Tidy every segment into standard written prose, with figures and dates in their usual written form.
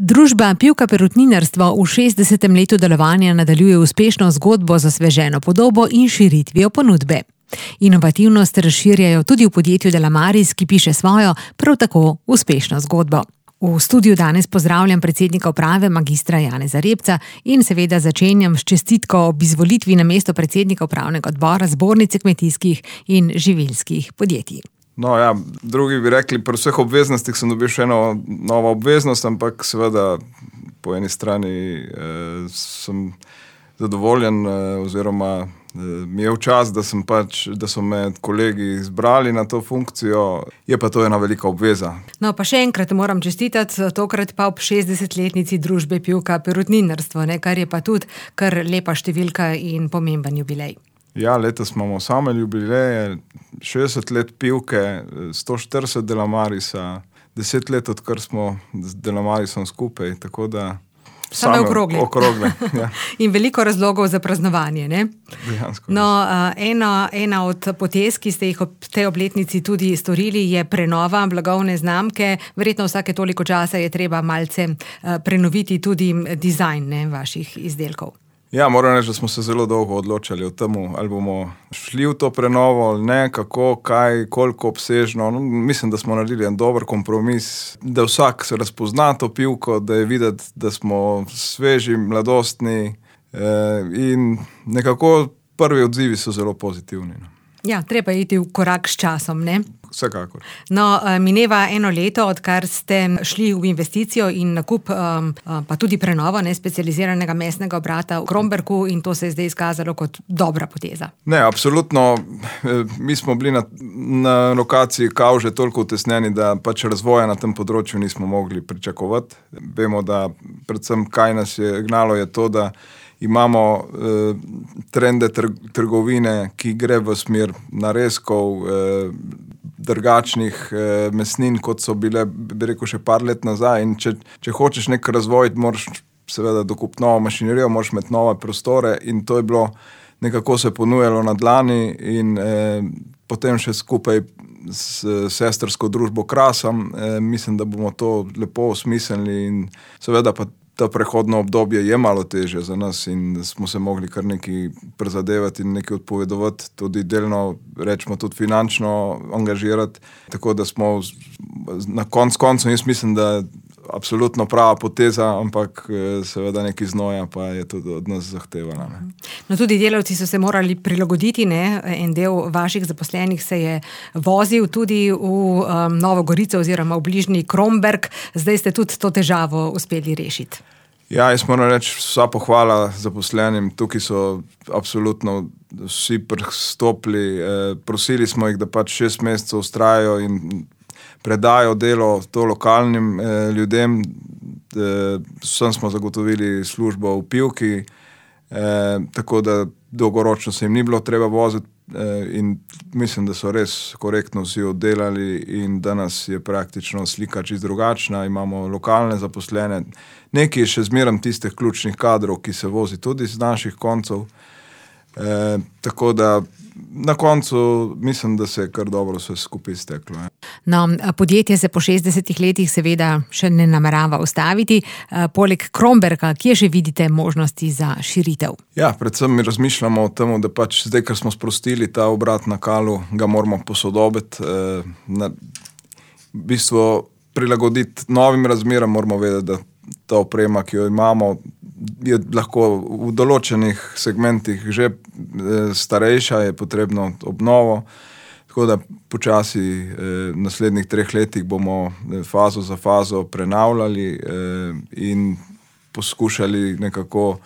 Družba Pivka Perutninarstvo v 60. letu delovanja nadaljuje uspešno zgodbo z osveženo podobo in širitvijo ponudbe. Inovativnost razširjajo tudi v podjetju Delamaris, ki piše svojo, prav tako uspešno zgodbo. V studiu danes pozdravljam predsednika uprave magistra Janeza Repca in seveda začenjam s čestitko ob izvolitvi na mesto predsednika upravnega odbora Zbornice kmetijskih in živilskih podjetij. No ja, drugi bi rekli, pri vseh obveznostih sem dobil še eno novo obveznost, ampak seveda po eni strani sem zadovoljen oziroma mi je v čas, da so me kolegi izbrali na to funkcijo, je pa to ena velika obveza. No pa še enkrat moram čestitati, tokrat pa ob 60-letnici družbe Pivka Perutninarstvo, kar je pa tudi kar lepa številka in pomemben jubilej. Ja, letos imamo same jubileje, 60 let Pivke, 140 Delamarisa, 10 let, odkar smo z Delamarisom skupaj, tako da same okrogle. Ja. In veliko razlogov za praznovanje, ne? Dejansko. No, ena od potez, ki ste jih ob tej obletnici tudi storili, je prenova blagovne znamke. Verjetno vsake toliko časa je treba malce prenoviti tudi dizajn vaših izdelkov. Ja, moram reči, da smo se zelo dolgo odločali o tem, ali bomo šli v to prenovo ali ne, kako, kaj, koliko obsežno. No, mislim, da smo naredili en dober kompromis, da vsak se razpozna to pivko, da je videti, da smo sveži, mladostni in nekako prvi odzivi so zelo pozitivni. No. Ja, treba iti v korak s časom, ne? Vsekakor. No, mineva eno leto, odkar ste šli v investicijo in nakup, pa tudi prenovo specializiranega mesnega obrata v Kromberku in to se je zdaj izkazalo kot dobra poteza. Ne, absolutno. Mi smo bili na lokaciji Kavže toliko utesnjeni, da pač razvoja na tem področju nismo mogli pričakovati. Vemo, da predvsem kaj nas je gnalo je to, da imamo trende trgovine, ki gre v smer narezkov, drugačnih mesnin, kot so bile, bi rekel, še par let nazaj. In če hočeš nek razvoj, moraš seveda dokupiti novo mašinerijo, moraš imeti nove prostore in to je bilo, nekako se ponujalo na dlani in potem še skupaj s sestrsko družbo Krasam, mislim, da bomo to lepo osmislili in seveda pa ta prehodno obdobje je malo težje za nas in smo se mogli kar nekaj prizadevati in nekaj odpovedovati, tudi delno, rečemo, tudi finančno angažirati, tako da smo na koncu, jaz mislim, da absolutno prava poteza, ampak seveda nekaj znoja pa je tudi od nas zahtevana. Ne. No, tudi delavci so se morali prilagoditi, ne? En del vaših zaposlenih se je vozil tudi v Novo Gorico oziroma v bližnji Kromberk, zdaj ste tudi to težavo uspeli rešiti. Ja, jaz moram reči, vsa pohvala zaposlenim, tukaj so absolutno vsi pristopili, prosili smo jih, da pač 6 mesecev vztrajajo in predajo delo to lokalnim ljudem, vsem smo zagotovili službo v Pivki, tako da dolgoročno se jim ni bilo treba voziti in mislim, da so res korektno vsi oddelali in danes je praktično slika čisto drugačna, imamo lokalne zaposlene, nekaj je še zmeraj tistih ključnih kadrov, ki se vozi tudi z naših koncev, tako da na koncu mislim, da se je kar dobro vse skupaj izteklo. No, podjetje se po 60 letih seveda še ne namerava ustaviti. Poleg Kromberka, kje še vidite možnosti za širitev? Ja, predvsem mi razmišljamo o tem, da pač zdaj, ker smo sprostili ta obrat na Kalu, ga moramo posodobiti, v bistvu prilagoditi novim razmeram, moramo vedeti, da ta oprema, ki jo imamo, je lahko v določenih segmentih že starejša, je potrebno obnovo, tako da počasi v naslednjih 3 letih bomo fazo za fazo prenavljali in poskušali nekako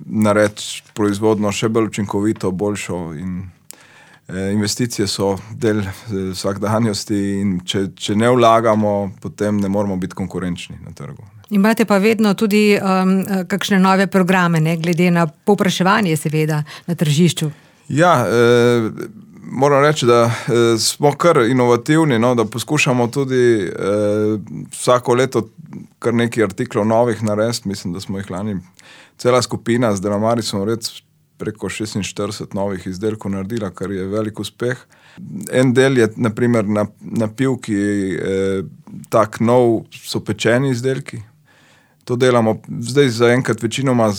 narediti proizvodno še bolj učinkovito, boljšo in investicije so del vsakdanjosti in če ne vlagamo, potem ne moramo biti konkurenčni na trgu. Imate pa vedno tudi kakšne nove programe, ne, glede na povpraševanje seveda na tržišču. Ja, moram reči, da smo kar inovativni, no, da poskušamo tudi vsako leto kar nekaj artiklov novih narediti, mislim, da smo jih lani cela skupina z Delamarisom preko 46 novih izdelkov naredila, kar je velik uspeh. En del je naprimer na pivki tak nov so pečeni izdelki. To delamo zdaj zaenkrat večinoma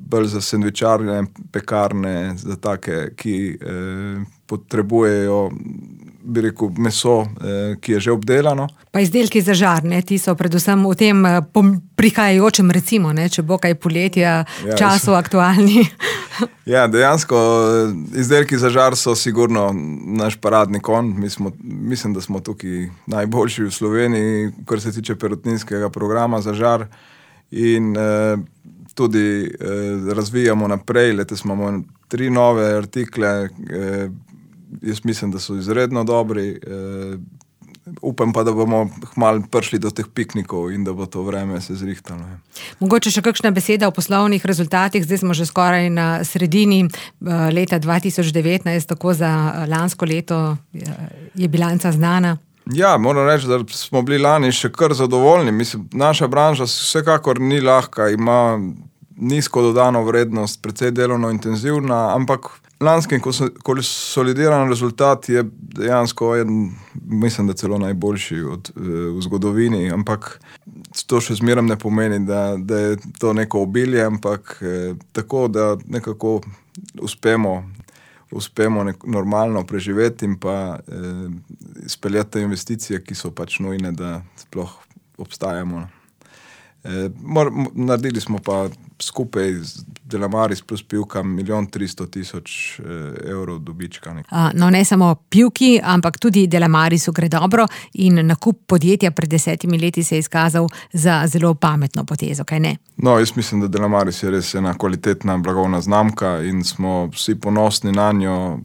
bolj za sendvičarne, pekarne, za take, ki potrebujejo, bi rekel, meso, ki je že obdelano. Pa izdelki za žar, ne? Ti so predvsem v tem prihajajočem, recimo, ne? Če bo kaj poletja, času aktualni. Ja, dejansko izdelki za žar so sigurno naš paradni konj. Mislim, da smo tukaj najboljši v Sloveniji, kar se tiče perutninskega programa za žar. In tudi razvijamo naprej. Letos imamo 3 nove artikle. Jaz mislim, da so izredno dobri. Upam pa, da bomo kmalu prišli do teh piknikov in da bo to vreme se zrihtalo. Mogoče še kakšna beseda o poslovnih rezultatih. Zdaj smo že skoraj na sredini leta 2019, tako za lansko leto je bilanca znana. Ja, moram reči, da smo bili lani še kar zadovoljni. Mislim, naša branža vsekakor ni lahka, ima nizko dodano vrednost, precej delovno intenzivna, ampak lanski konsolidiran rezultat je dejansko mislim, da celo najboljši v zgodovini, ampak to še zmeraj ne pomeni, da je to neko obilje, ampak tako, da nekako uspemo normalno preživeti in pa izpeljati te investicije, ki so pač nujne, da sploh obstajamo. Naredili smo pa skupaj z Delamaris plus pivka 1 300 000 evrov dobička. No, ne samo pivki, ampak tudi Delamarisu gre dobro in nakup podjetja pred 10 leti se je izkazal za zelo pametno potezo, kaj ne? No, jaz mislim, da Delamaris je res ena kvalitetna blagovna znamka in smo vsi ponosni na njo,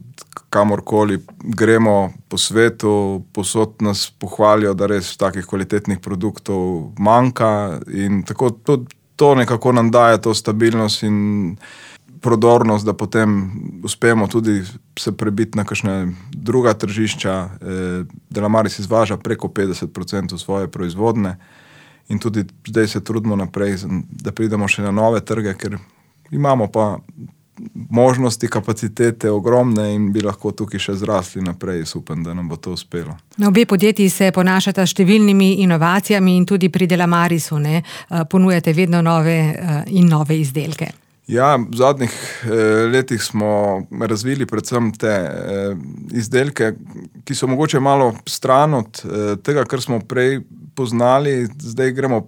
kamorkoli gremo po svetu, povsod nas pohvalijo, da res takih kvalitetnih produktov manjka in tako to nekako nam daje to stabilnost in prodornost, da potem uspemo tudi se prebiti na kakšne druga tržišča. Delamaris izvaža preko 50% svoje proizvodne in tudi zdaj se trudimo naprej, da pridemo še na nove trge, ker imamo pa možnosti, kapacitete ogromne in bi lahko tukaj še zrasli naprej. Upam, da nam bo to uspelo. Obe podjetji se ponašata številnimi inovacijami in tudi pri Delamarisu ponujate vedno nove in nove izdelke. Ja, v zadnjih letih smo razvili predvsem te izdelke, ki so mogoče malo stran od tega, kar smo prej poznali. Zdaj gremo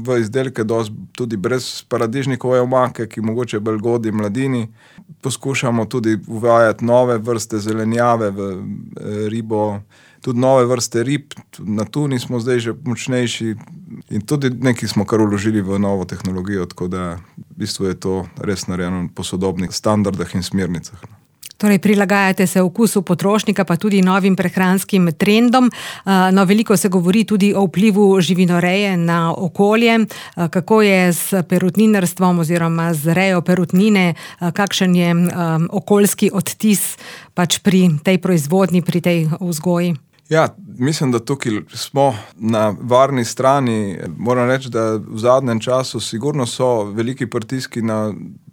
v izdelke tudi brez paradižnikove omake, ki mogoče bolj godi mladini. Poskušamo tudi uvajati nove vrste zelenjave v ribo, tudi nove vrste rib. Na tuni smo zdaj že močnejši in tudi nekaj smo kar vložili v novo tehnologijo, tako da v bistvu je to res narejeno po sodobnih standardah in smernicah. Torej, prilagajate se okusu potrošnika, pa tudi novim prehranskim trendom. No, veliko se govori tudi o vplivu živinoreje na okolje. Kako je s perutninarstvom oziroma z rejo perutnine, kakšen je okoljski odtis pač pri tej proizvodnji, pri tej vzgoji? Ja, mislim, da tukaj smo na varni strani. Moram reči, da v zadnjem času sigurno so veliki pritiski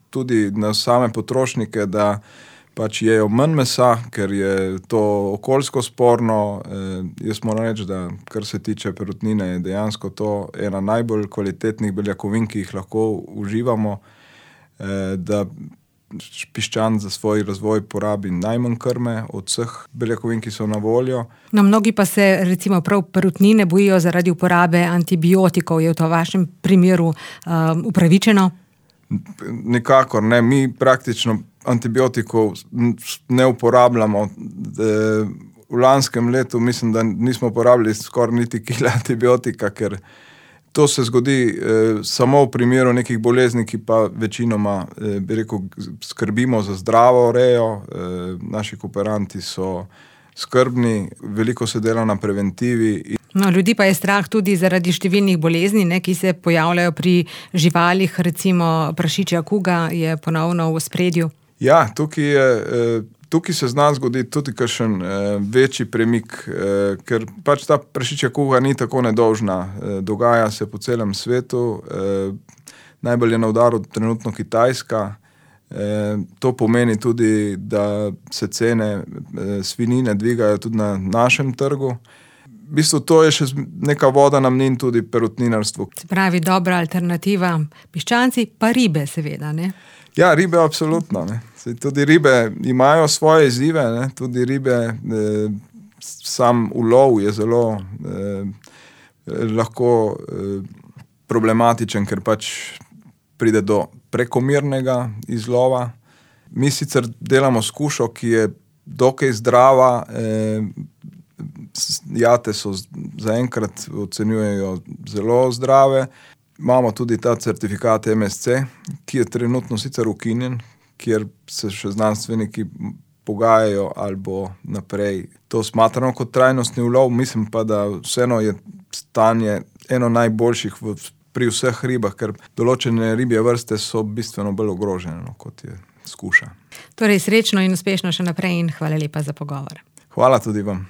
tudi na same potrošnike, da pač jejo manj mesa, ker je to okoljsko sporno. Jaz moram reči, da kar se tiče perutnine, je dejansko to ena najbolj kvalitetnih beljakovin, ki jih lahko uživamo, da piščan za svoj razvoj porabi najmanj krme od vseh beljakovin, ki so na voljo. No, mnogi pa se recimo prav perutnine bojijo zaradi uporabe antibiotikov. Je v to vašem primeru upravičeno? Nikakor ne. Mi praktično antibiotikov ne uporabljamo. V lanskem letu mislim, da nismo uporabili skoraj niti kila antibiotika, ker to se zgodi samo v primeru nekih bolezni, ki pa večinoma, bi rekel, skrbimo za zdravo rejo. Naši kooperanti so skrbni, veliko se dela na preventivi. No, ljudi pa je strah tudi zaradi številnih bolezni, ki se pojavljajo pri živalih, recimo prašičja kuga je ponovno v ospredju. Ja, tukaj se zna zgoditi tudi kakšen večji premik, ker pač ta prašičja kuga ni tako nedolžna. Dogaja se po celem svetu. Najbolj je na udaru trenutno Kitajska. To pomeni tudi, da se cene svinjine dvigajo tudi na našem trgu. V bistvu to je še neka voda na mlin tudi perutninarstvu. Se pravi, dobra alternativa piščanci, pa ribe seveda, ne? Ja, ribe absolutno, ne. Tudi ribe imajo svoje izzive, ne. Tudi ribe, sam ulov je zelo lahko problematičen, ker pač pride do prekomernega izlova. Mi sicer delamo skušo, ki je dokaj zdrava, jate so zaenkrat ocenjujejo zelo zdrave. Imamo tudi ta certifikat MSC, ki je trenutno sicer ukinjen, kjer se še znanstveniki pogajajo ali bo naprej to smatrano kot trajnostni ulov. Mislim pa, da vseeno je stanje eno najboljših pri vseh ribah, ker določene ribje vrste so bistveno bolj ogrožene, kot je skuša. Torej, srečno in uspešno še naprej in hvala lepa za pogovor. Hvala tudi vam.